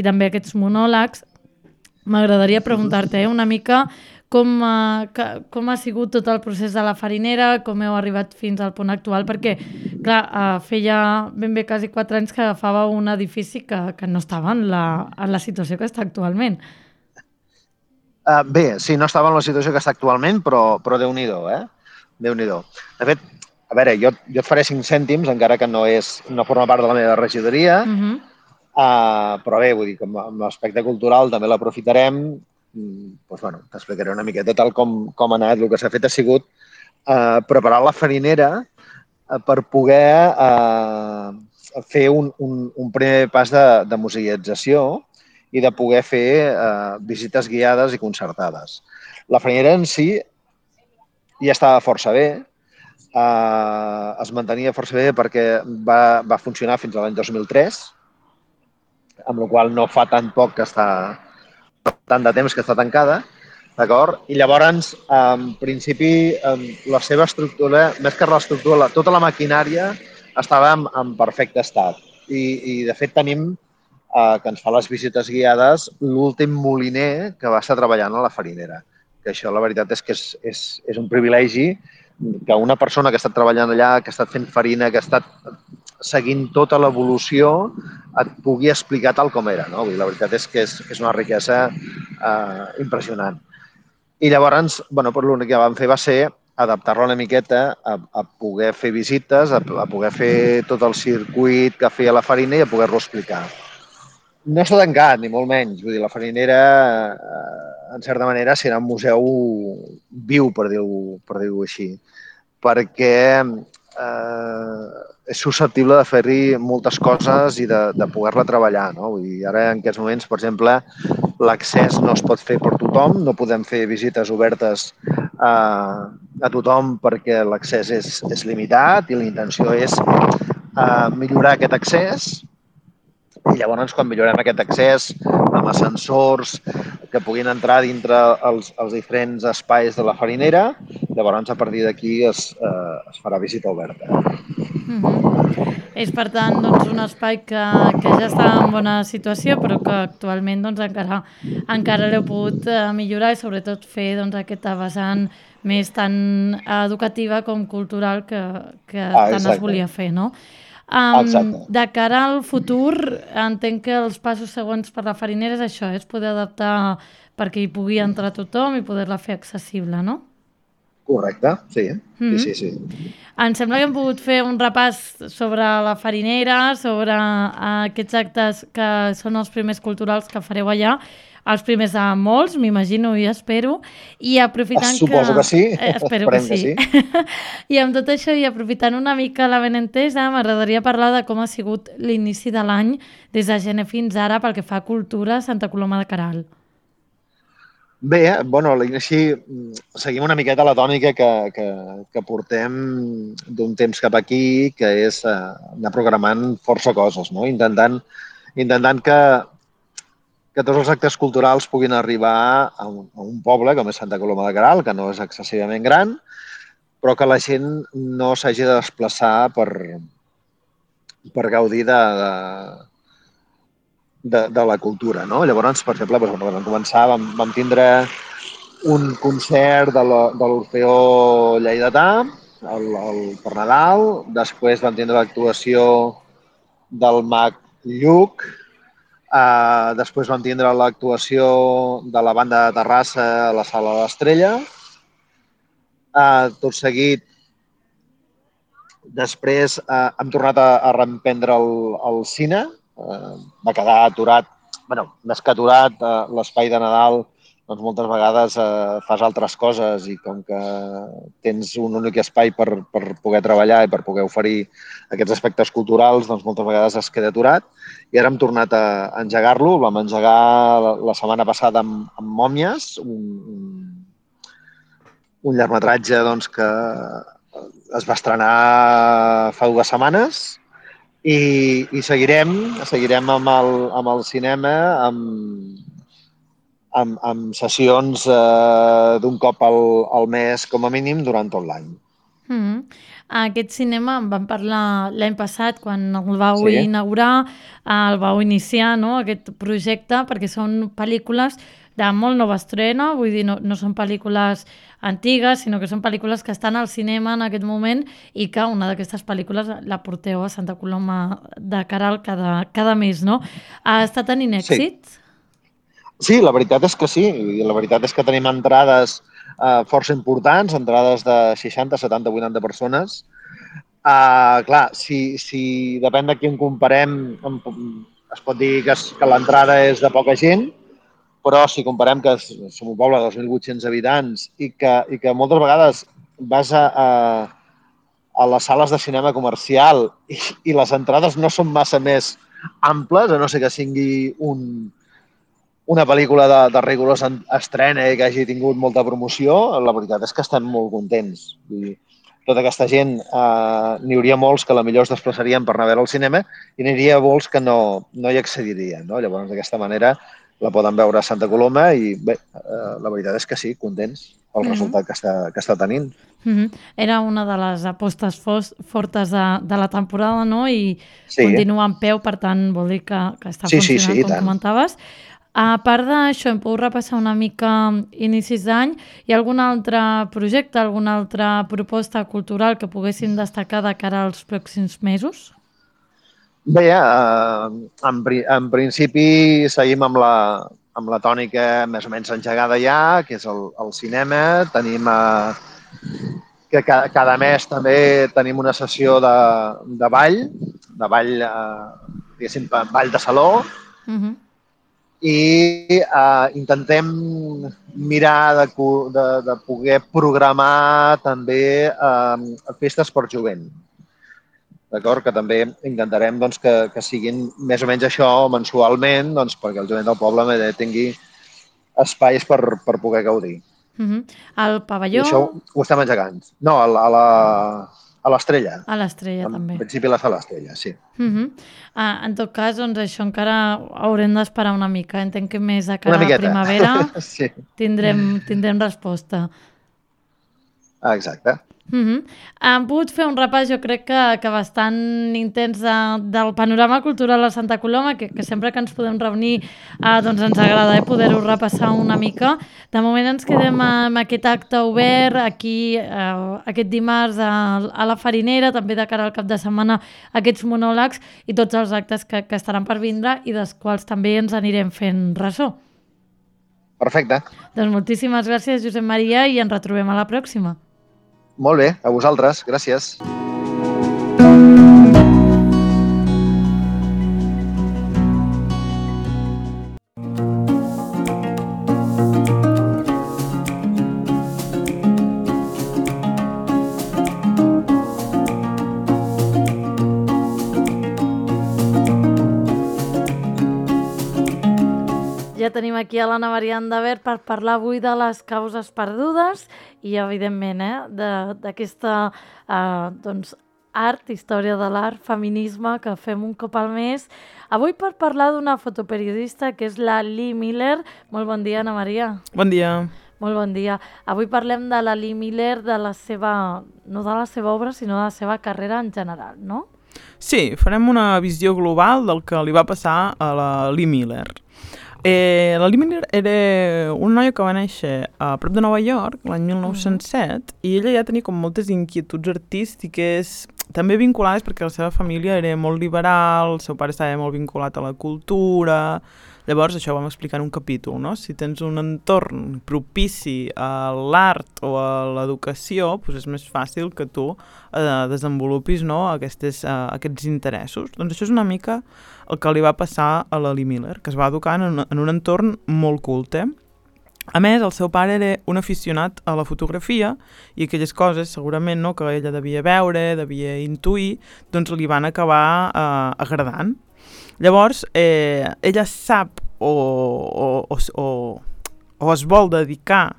S2: i també aquests monòlegs, m'agradaria preguntar-te eh, una mica com, uh, que, com ha sigut tot el procés de la Farinera, com heu arribat fins al punt actual, perquè, clar, uh, feia ben bé quasi quatre anys que agafava un edifici que, que no estava en la, en la situació que està actualment.
S11: Uh, bé, sí, no estava en la situació que està actualment, però, però Déu-n'hi-do, eh? Déu-n'hi-do. De fet, a veure, jo, jo et faré cinc cèntims, encara que no, és, no forma part de la meva regidoria, uh -huh. uh, però bé, vull dir, com amb l'aspecte cultural també l'aprofitarem. Doncs, bueno, t'explicaré una miqueta tal com, com ha anat. El que s'ha fet ha sigut uh, preparar la farinera uh, per poder uh, fer un, un, un primer pas de, de museïtzació i de poder fer uh, visites guiades i concertades. La farinera en si ja estava força bé, uh, es mantenia força bé perquè va, va funcionar fins a l'any dos mil tres, amb la qual no fa tan poc que està, tant de temps que està tancada, d'acord? I llavors, en principi, la seva estructura, més que l'estructura, tota la maquinària estava en, en perfecte estat. I, i de fet, tenim, eh, que ens fa les visites guiades, l'últim moliner que va estar treballant a la farinera. Que això, la veritat, és que és, és, és un privilegi que una persona que ha estat treballant allà, que ha estat fent farina, que ha estat seguint tota l'evolució, et pugui explicar tal com era. No? La veritat és que és, és una riquesa eh, impressionant. I llavors, bueno, l'únic que vam fer va ser adaptar-la una miqueta a, a poder fer visites, a, a poder fer tot el circuit que feia la farina i a poder-lo explicar. No està tancat, ni molt menys. Vull dir, la farinera, eh, en certa manera, serà un museu viu, per dir-ho per dir-ho així, perquè eh, és susceptible de fer-hi moltes coses i de, de poder-la treballar. No? Vull dir, ara, en aquests moments, per exemple, l'accés no es pot fer per tothom, no podem fer visites obertes a, a tothom perquè l'accés és, és limitat i la intenció és eh, millorar aquest accés. I llavors, quan millorem aquest accés amb ascensors que puguin entrar dintre els, els diferents espais de la farinera, llavors a partir d'aquí es, eh, es farà visita oberta.
S2: Mm-hmm. És, per tant, doncs, un espai que, que ja està en bona situació, però que actualment doncs, encara, encara l'heu pogut eh, millorar i sobretot fer doncs, aquesta vessant més tan educativa com cultural que, que
S11: ah,
S2: tant es volia fer, no? Um, de cara al futur, entenc que els passos següents per la farinera és això, és poder adaptar perquè hi pugui entrar tothom i poder-la fer accessible, no?
S11: Correcte, sí. Mm-hmm. sí, sí, sí.
S2: Em sembla que hem pogut fer un repàs sobre la farinera, sobre aquests actes que són els primers culturals que fareu allà, els primers de molts, m'imagino i espero, i aprofitant
S11: Suposo que... Suposo que sí,
S2: eh, espero que sí. que sí. I amb tot això, i aprofitant una mica la benentesa, m'agradaria parlar de com ha sigut l'inici de l'any des de gener fins ara pel que fa a cultura a Santa Coloma de Queralt.
S11: Bé, bueno, a l'inici seguim una miqueta la tònica que, que, que portem d'un temps cap aquí, que és eh, anar programant força coses, no? Intentant, intentant que, que tots els actes culturals puguin arribar a un, a un poble com és Santa Coloma de Queralt, que no és excessivament gran, però que la gent no s'hagi de desplaçar per, per gaudir de, de, de, de la cultura, no? Llavors, per exemple, doncs, quan vam començar vam, vam tindre un concert de l'Orfeó Lleidatà el, el, per Nadal, després vam tindre l'actuació del Mag Lluc, Uh, després vam tindre l'actuació de la banda de Terrassa a la Sala de l'Estrella. Uh, tot seguit, després uh, hem tornat a, a reemprendre el, el cine. Uh, va quedar aturat, bueno, més que aturat, uh, l'espai de Nadal, doncs moltes vegades uh, fas altres coses i com que tens un únic espai per, per poder treballar i per poder oferir aquests aspectes culturals, doncs moltes vegades es queda aturat. I ara hem tornat a engegar-lo, el vam engegar la, la setmana passada amb, amb Mòmies, un, un, un llargmetratge doncs, que es va estrenar fa dues setmanes i, i seguirem, seguirem amb el, amb el cinema, amb, amb, amb sessions eh, d'un cop al, al mes com a mínim durant tot l'any.
S2: Mm-hmm. Aquest cinema en vam parlar l'any passat quan el vau sí. inaugurar, el vau iniciar, no?, aquest projecte, perquè són pel·lícules de molt nova estrena, vull dir, no, no són pel·lícules antigues, sinó que són pel·lícules que estan al cinema en aquest moment i que una d'aquestes pel·lícules la porteu a Santa Coloma de Queralt cada, cada mes, no? Ha estat tenint èxit?
S11: Sí. Sí, la veritat és que sí. La veritat és que tenim entrades eh, força importants, entrades de seixanta, setanta, vuitanta persones Uh, clar, si, si depèn de qui en comparem, es pot dir que, es, que l'entrada és de poca gent, però si comparem que som un poble de dos mil vuit-cents habitants i que, i que moltes vegades vas a, a, a les sales de cinema comercial i, i les entrades no són massa més amples, a no ser que sigui un, una pel·lícula de, de rigorós estrena i que hagi tingut molta promoció, la veritat és que estem molt contents. Vull dir, tota aquesta gent, eh, n'hi hauria molts que a la millor es desplaçarien per anar a veure al cinema i n'hi hauria molts que no, no hi accedirien. No? Llavors, d'aquesta manera, la poden veure a Santa Coloma i bé, eh, la veritat és que sí, contents pel mm-hmm. resultat que està, que està tenint.
S2: Mm-hmm. Era una de les apostes fos, fortes de, de la temporada, no? I sí. continua en peu, per tant, vol dir que, que està sí, funcionant, sí, sí, com tant. comentaves. A part d'això, hem pogut repassar una mica inicis d'any. Hi ha algun altre projecte, alguna altra proposta cultural que poguessin destacar de cara als pròxims mesos?
S11: Bé, eh, en, en principi seguim amb la, amb la tònica més o menys engegada ja, que és el, el cinema. Tenim eh, que cada, cada mes també tenim una sessió de, de ball, de ball, eh, diguéssim, ball de saló, uh-huh. i eh, intentem mirar de, de, de poder programar també eh, festes per jovent. D'acord? Que també intentarem doncs, que, que siguin més o menys això mensualment, doncs, perquè el jovent del poble tingui espais per, per poder gaudir.
S2: Uh-huh. El pavelló...
S11: I això ho estem engegant. No, a la, a l'Estrella.
S2: A l'Estrella, també.
S11: En principi la sala Estrella, sí.
S2: Uh-huh. ah, en tot cas, doncs, això encara haurem d'esperar una mica. Entenc que més de cara a la primavera
S11: sí.
S2: tindrem, tindrem resposta.
S11: Ah, exacte.
S2: Uh-huh. Hem pogut fer un repàs, jo crec que, que bastant intens de, del panorama cultural a Santa Coloma, que, que sempre que ens podem reunir eh, doncs ens agrada eh, poder-ho repassar una mica. De moment ens quedem amb aquest acte obert aquí eh, aquest dimarts a, a la Farinera, també de cara al cap de setmana aquests monòlegs i tots els actes que, que estaran per vindre i dels quals també ens anirem fent ressò.
S11: Perfecte.
S2: Doncs moltíssimes gràcies, Josep Maria, i ens retrobem a la pròxima.
S11: Molt bé, a vosaltres. Gràcies.
S2: Ja tenim aquí a l'Anna Maria Andavert per parlar avui de les causes perdudes i, evidentment, eh, d'aquesta eh, doncs, art, història de l'art, feminisme, que fem un cop al mes. Avui per parlar d'una fotoperiodista que és la Lee Miller. Molt bon dia, Anna Maria.
S12: Bon dia.
S2: Molt bon dia. Avui parlem de la Lee Miller, de la seva, no de la seva obra, sinó de la seva carrera en general, no?
S12: Sí, farem una visió global del que li va passar a la Lee Miller. Eh, la Lee Miller era una noia que va néixer a prop de Nova York l'any mil nou-cents set i ella ja tenia com moltes inquietuds artístiques també vinculades perquè la seva família era molt liberal, el seu pare estava molt vinculat a la cultura. Llavors això ho vam explicar en un capítol, no? Si tens un entorn propici a l'art o a l'educació, doncs és més fàcil que tu eh, desenvolupis, no, aquestes, eh, aquests interessos. Doncs això és una mica el que li va passar a la Lee Miller, que es va educar en un, en un entorn molt culte. A més, el seu pare era un aficionat a la fotografia i aquelles coses, segurament, no, que ella devia veure, devia intuir, doncs li van acabar eh, agradant. Llavors, eh, ella sap o, o, o, o, o es vol dedicar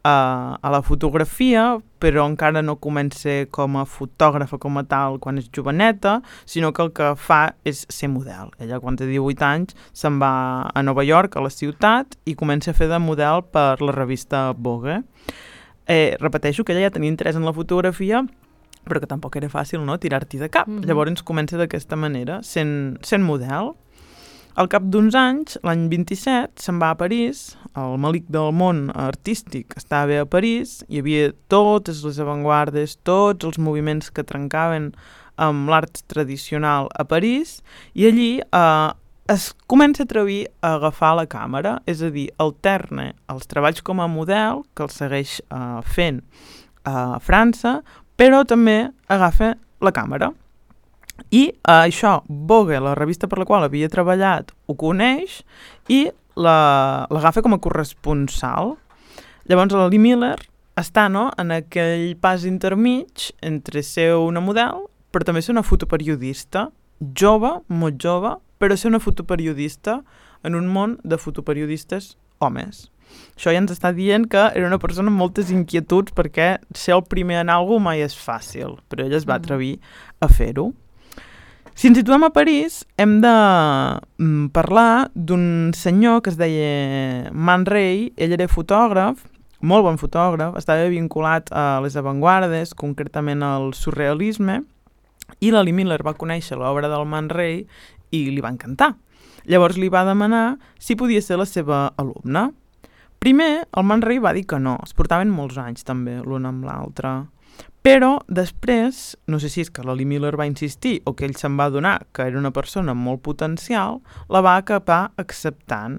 S12: a, a la fotografia, però encara no comença com a fotògrafa com a tal quan és joveneta, sinó que el que fa és ser model. Ella, quan té divuit anys, se'n va a Nova York, a la ciutat, i comença a fer de model per la revista Vogue. Eh, repeteixo que ella ja tenia interès en la fotografia, però que tampoc era fàcil, no?, tirar-t'hi de cap. Mm-hmm. Llavors comença d'aquesta manera, sent, sent model. Al cap d'uns anys, l'any vint-i-set, se'n va a París, el malic del món artístic estava a París, hi havia totes les avantguardes, tots els moviments que trencaven amb l'art tradicional a París, i allí eh, es comença a atrevir a agafar la càmera, és a dir, alterna els treballs com a model, que els segueix eh, fent a França, però també agafa la càmera. I eh, això, Vogue, la revista per la qual havia treballat, ho coneix i l'agafa com a corresponsal. Llavors la Lee Miller està, no?, en aquell pas intermig entre ser una model, però també ser una fotoperiodista, jove, molt jove, però ser una fotoperiodista en un món de fotoperiodistes homes. Això ja ens està dient que era una persona amb moltes inquietuds, perquè ser el primer en alguna cosa mai és fàcil, però ella es va atrevir a fer-ho. Si ens situem a París, hem de mm, parlar d'un senyor que es deia Man Ray. Ell era fotògraf, molt bon fotògraf, estava vinculat a les avantguardes, concretament al surrealisme, i la Lee Miller va conèixer l'obra del Man Ray i li va encantar. Llavors li va demanar si podia ser la seva alumna. Primer, el Man Ray va dir que no, es portaven molts anys també l'un amb l'altre. Però després, no sé si és que la Lee Miller va insistir o que ell se'n va adonar que era una persona amb molt potencial, la va acabar acceptant.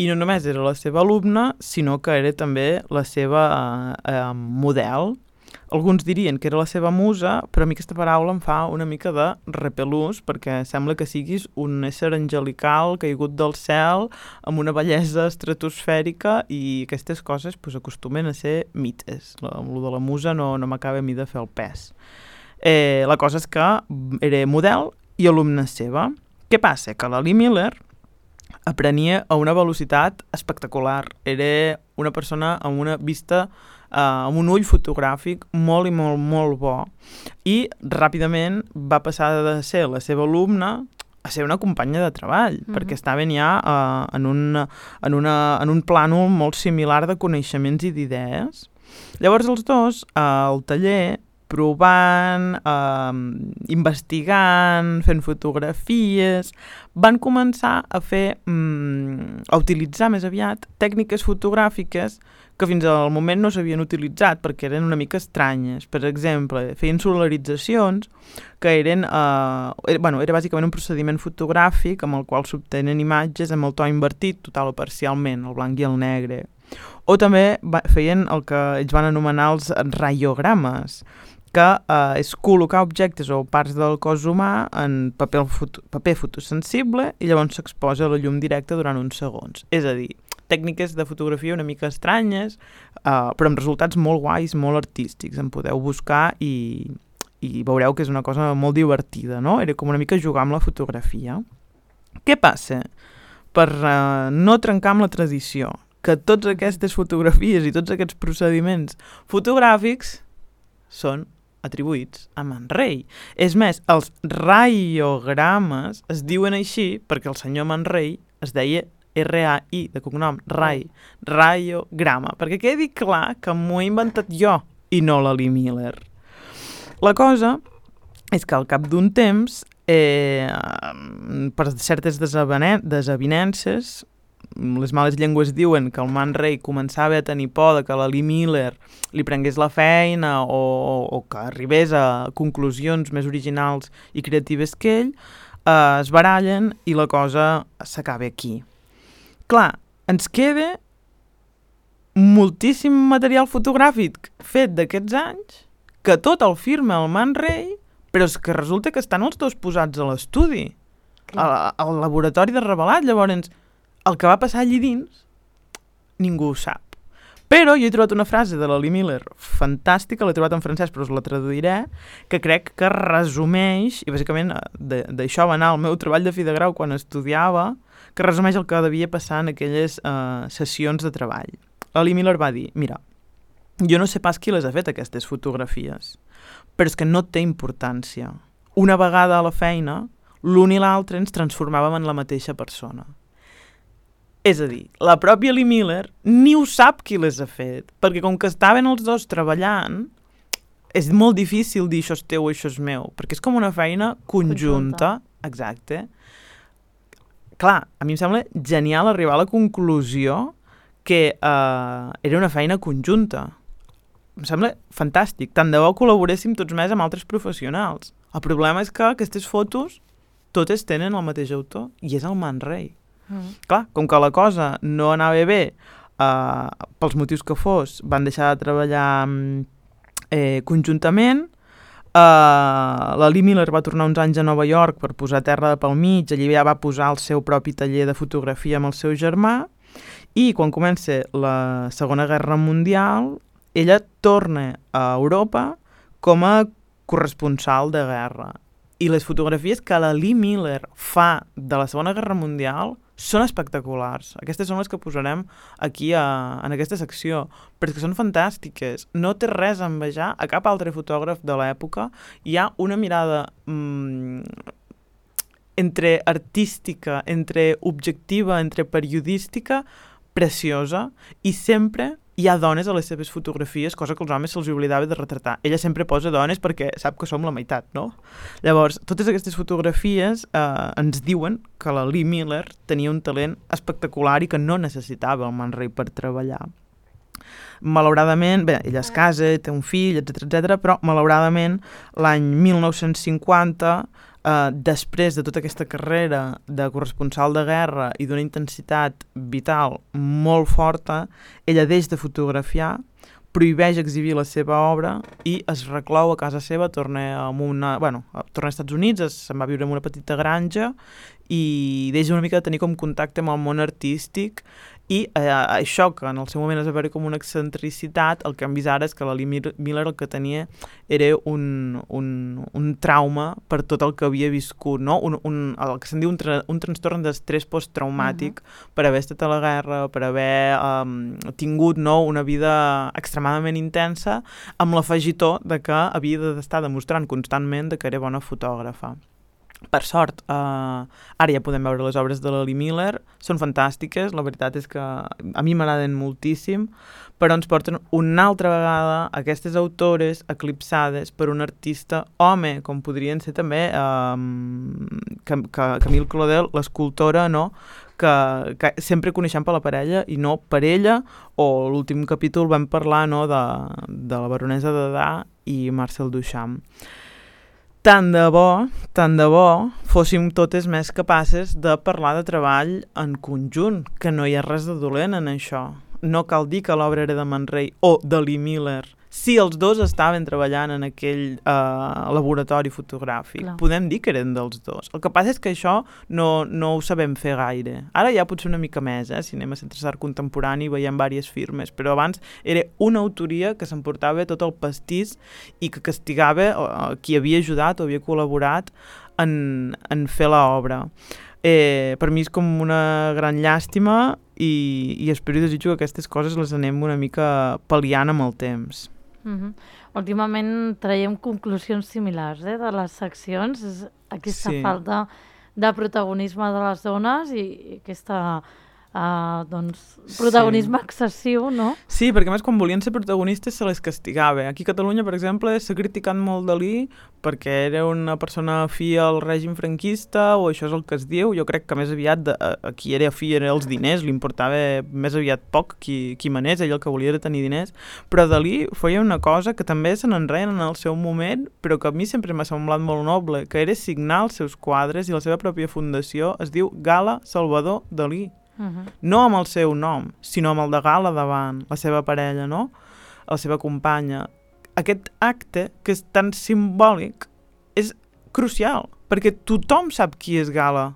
S12: I no només era la seva alumna, sinó que era també la seva eh, eh, model. Alguns dirien que era la seva musa, però a mi aquesta paraula em fa una mica de repelús, perquè sembla que siguis un ésser angelical caigut del cel, amb una bellesa estratosfèrica, i aquestes coses pues, acostumen a ser mites. Lo de la musa no, no m'acaba a mi de fer el pes. Eh, la cosa és que era model i alumna seva. Què passa? Que la Lee Miller aprenia a una velocitat espectacular. Era una persona amb una vista Uh, amb un ull fotogràfic molt i molt, molt bo, i ràpidament va passar de ser la seva alumna a ser una companya de treball, mm-hmm. perquè estaven ja uh, en, un, en, una, en un plànol molt similar de coneixements i d'idees. Llavors els dos, uh, al taller, provant, uh, investigant, fent fotografies, van començar a fer, um, a utilitzar més aviat tècniques fotogràfiques que fins al moment no s'havien utilitzat perquè eren una mica estranyes. Per exemple, feien solaritzacions que eren, uh, era, bueno, era bàsicament un procediment fotogràfic amb el qual s'obtenen imatges amb el to invertit, total o parcialment, el blanc i el negre. O també va, feien el que ells van anomenar els raiogrames, que uh, és col·locar objectes o parts del cos humà en paper, foto, paper fotosensible i llavors s'exposa a la llum directa durant uns segons. És a dir, tècniques de fotografia una mica estranyes, uh, però amb resultats molt guais, molt artístics. En podeu buscar i, i veureu que és una cosa molt divertida, no? Era com una mica jugar amb la fotografia. Què passa? Per uh, no trencar amb la tradició, que totes aquestes fotografies i tots aquests procediments fotogràfics són atribuïts a Man Ray. És més, els raiogrames es diuen així perquè el senyor Man Ray es deia R A I, de cognom, Ray, raiograma, perquè quedi clar que m'ho he inventat jo i no la Lee Miller. La cosa és que al cap d'un temps, eh, per certes desavinences, les males llengües diuen que el Man Ray començava a tenir por de que la Lee Miller li prengués la feina o, o, o que arribés a conclusions més originals i creatives que ell, eh, es barallen i la cosa s'acaba aquí. Clar, ens queda moltíssim material fotogràfic fet d'aquests anys que tot el firma el Man Ray, però és que resulta que estan els dos posats a l'estudi, al, al laboratori de Revelat. Llavors, el que va passar allí dins, ningú ho sap. Però jo he trobat una frase de la Lee Miller fantàstica, l'he trobat en francès però us la traduiré, que crec que resumeix, i bàsicament d'això va anar el meu treball de fi de grau quan estudiava, que resumeix el que devia passar en aquelles uh, sessions de treball. La Lee Miller va dir, mira, jo no sé pas qui les ha fet aquestes fotografies, però és que no té importància. Una vegada a la feina, l'un i l'altre ens transformàvem en la mateixa persona. És a dir, la pròpia Lee Miller ni ho sap qui les ha fet, perquè com que estaven els dos treballant, és molt difícil dir això és teu o això és meu, perquè és com una feina conjunta, conjunta. Exacte. Clar, a mi em sembla genial arribar a la conclusió que uh, era una feina conjunta. Em sembla fantàstic. Tant de bo col·laboréssim tots més amb altres professionals. El problema és que aquestes fotos totes tenen el mateix autor i és el Man Ray. Mm. Clar, com que la cosa no anava bé, uh, pels motius que fos, van deixar de treballar um, Eh, conjuntament, Uh, la Lee Miller va tornar uns anys a Nova York per posar terra pel mig, allí ja va posar el seu propi taller de fotografia amb el seu germà, i quan comença la Segona Guerra Mundial ella torna a Europa com a corresponsal de guerra, i les fotografies que la Lee Miller fa de la Segona Guerra Mundial són espectaculars. Aquestes són les que posarem aquí a, en aquesta secció, perquè són fantàstiques. No té res a envejar a cap altre fotògraf de l'època. Hi ha una mirada mmm, entre artística, entre objectiva, entre periodística, preciosa, i sempre hi ha dones a les seves fotografies, cosa que els homes se'ls oblidava de retratar. Ella sempre posa dones perquè sap que som la meitat, no? Llavors, totes aquestes fotografies eh, ens diuen que la Lee Miller tenia un talent espectacular i que no necessitava el Man Ray per treballar. Malauradament, bé, ella es casa, té un fill, etcètera, etcètera, però malauradament l'any mil nou-cents cinquanta, Uh, després de tota aquesta carrera de corresponsal de guerra i d'una intensitat vital molt forta, ella deixa de fotografiar, prohibeix exhibir la seva obra i es reclou a casa seva, torna a, una, bueno, torna als Estats Units, es, se'n va viure en una petita granja i deixa una mica de tenir com contacte amb el món artístic, i eh, això que en el seu moment es va veure com una excentricitat, el que hem vist ara és que la Lee Miller el que tenia era un, un, un trauma per tot el que havia viscut, no? un, un, el que se'n diu un, tra un trastorn d'estrès posttraumàtic, uh-huh. per haver estat a la guerra, per haver um, tingut, no, una vida extremadament intensa, amb l'afegitó de que havia d'estar demostrant constantment de que era bona fotògrafa. Per sort, eh, ara ja podem veure les obres de la Lee Miller, són fantàstiques, la veritat és que a mi m'agraden moltíssim, però ens porten una altra vegada aquestes autores eclipsades per un artista home, com podrien ser també eh, Camille Claudel, l'escultora, no?, que, que sempre coneixem per la parella i no per ella, o l'últim capítol vam parlar, no?, de, de la baronesa de Dà i Marcel Duchamp. Tant de bo, tant de bo, fóssim totes més capaces de parlar de treball en conjunt, que no hi ha res de dolent en això. No cal dir que l'obra era de Man Ray o de Lee Miller. Si els dos estaven treballant en aquell eh, laboratori fotogràfic, clar, podem dir que eren dels dos. El que passa és que això no, no ho sabem fer gaire. Ara ja potser una mica més, eh, si anem a Centre d'Art Contemporani i veiem diverses firmes, però abans era una autoria que s'emportava tot el pastís i que castigava eh, qui havia ajudat o havia col·laborat en, en fer l'obra. Eh, per mi és com una gran llàstima i, i espero i desitjo que aquestes coses les anem una mica pal·liant amb el temps.
S2: Uh-huh. Últimament traiem conclusions similars eh, de les seccions, és aquesta sí. falta de protagonisme de les dones i aquesta uh, doncs, protagonisme sí. excessiu, no?
S12: Sí, perquè més quan volien ser protagonistes se les castigava. Aquí a Catalunya, per exemple, s'ha criticat molt Dalí perquè era una persona afí al règim franquista, o això és el que es diu. Jo crec que més aviat de, a qui era afí era els diners, li importava més aviat poc qui, qui manés, ell el que volia era tenir diners. Però Dalí feia una cosa que també se n'enreien en el seu moment, però que a mi sempre m'ha semblat molt noble, que era signar els seus quadres, i la seva pròpia fundació es diu Gala Salvador Dalí. Uh-huh. No amb el seu nom, sinó amb el de Gala davant, la seva parella, no? La seva companya. Aquest acte, que és tan simbòlic, és crucial, perquè tothom sap qui és Gala.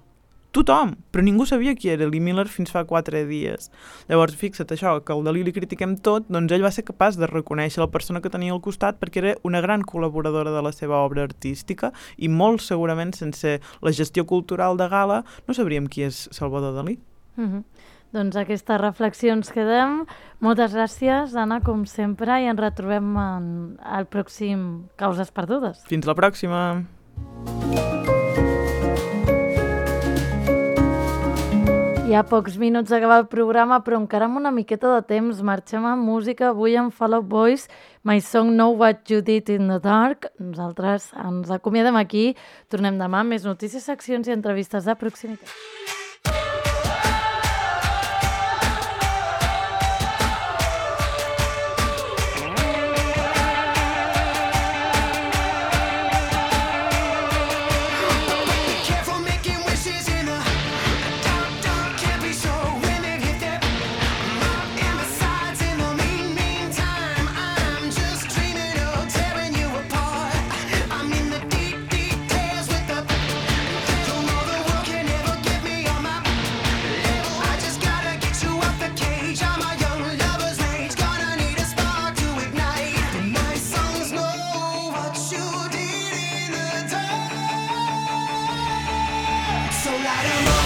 S12: Tothom, però ningú sabia qui era Lee Miller fins fa quatre dies. Llavors, fixa't això, que al Dalí li critiquem tot, doncs ell va ser capaç de reconèixer la persona que tenia al costat perquè era una gran col·laboradora de la seva obra artística i molt segurament sense la gestió cultural de Gala no sabríem qui és Salvador Dalí.
S2: Uh-huh. Doncs aquestes reflexions quedem. Moltes gràcies, Anna, com sempre, i ens retrobem en el pròxim Causes Perdudes.
S12: Fins la pròxima!
S2: Hi ha pocs minuts d'acabar el programa, però encara amb una miqueta de temps. Marxem amb música, avui amb Fall Out Boy, My Song Know What You Did in the Dark. Nosaltres ens acomiadem aquí. Tornem demà amb més notícies, seccions i entrevistes de proximitat.
S13: Dreaming of won't let 'em all